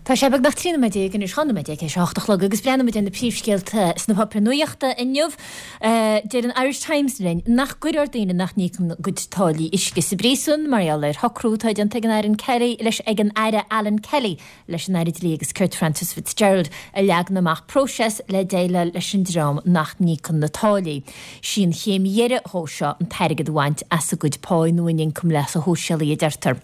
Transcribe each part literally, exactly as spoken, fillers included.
Tá sé beagnach trí nóiméad déag anois, dhá nóiméad déag théis a hocht a chlog agus breathnóimid ar na príomhscéalta sna páipéir nuachta inniu. Deir an Irish Times linn nach gcuirfear daoine nach n-íocann a gcuid táillí uisce sa bpríosún mar gheall ar shocrú atá déanta ag an Aire Kelly leis ag an Aire Alan Kelly leis an Aire Dlí agus Cirt Frances Fitzgerald a leagann amach próiseas le déileáil leis an dream nach n-íocann na táillí. Sí an chéim dheiridh dhó seo an t-airgead a bhaint as a gcuid pá nó a n-ioncam leasa shóisialaigh, a deirtear.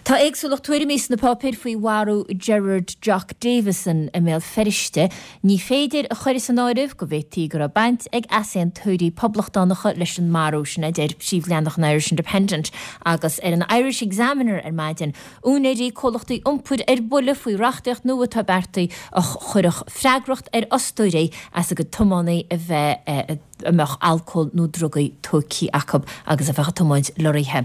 Tá éagsúlacht tuairimí sna páipéir faoi mharú Gerard Jock Davison i mBéal Feirste. Ní féidir a chur as an áireamh go bhféadfaí go raibh baint ag easaontóirí poblachtánacha leis an marú sin, a deir príomhleathanach an Irish Independent. Agus ar an Irish Examiner ar maidin, úinéirí comhlachtaí iompair ar buile faoi reachtaíocht nua atá beartaithe a chuirfeadh freagracht ar fhostóirí as a gcuid tiománaí a bheith a mbeadh alcól nó drugaí tógtha acu agus a bheadh ag tiomáint lorraithe.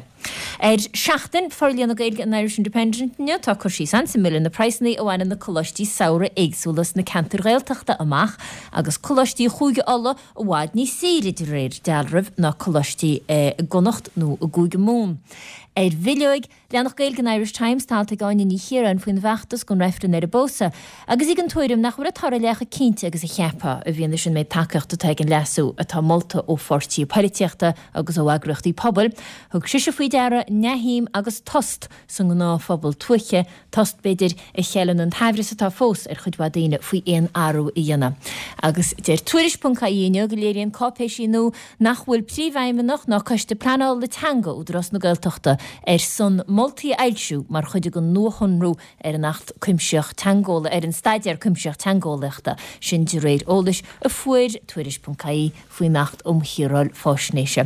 Ar Seachtain, forlíonadh Gaeilge an Irish Independent inniu, tá cur síos an-suimiúil ar na praghsanna a bhaineann na coláistí samhraidh éagsúla sna ceantair Ghaeltachta amach agus coláistí Chúige Uladh i bhfad níos saoire de réir dealraimh ná coláistí i gConnacht nó i gCúige Mumhan. Ar bhileoig, Leathanach Gaeilge an Irish Times, tá alt ag Áine Ní Chiaráin faoin bhfeachtas don reifreann ar an bpósadh, agus í den tuairim nach bhfuil an toradh leath chomh cinnte agus a cheapfá, i bhfianaise an méid tacaíochta atá ag an leasú atá molta ó pháirtithe poilitíochta agus ó eagraíochtaí pobail. Thug sise faoi deara neamhshuim agus tost sa ngnáthphobal tuaithe, tost, b'fhéidir, a cheileann an t-aimhreas atá fós ar chuid mhaith daoine faoi aon athrú a dhéanamh. Agus deir Tuairisc ponc ie inniu go léiríonn cáipéisí nua nach bhfuil Príomhfheidhmeannach ná Coiste Pleanála Teanga Údarás na Gaeltachta ar son moltaí a fhoilsiú mar chuid den nuashonrú ar an Acht Cuimsitheach Teangeolaíochta, ar an Staidéar Cuimsitheach Teangeolaíochta, sin de réir eolais a fuair Tuairisc ponc ie faoin Acht um Shaoráil Faisnéise.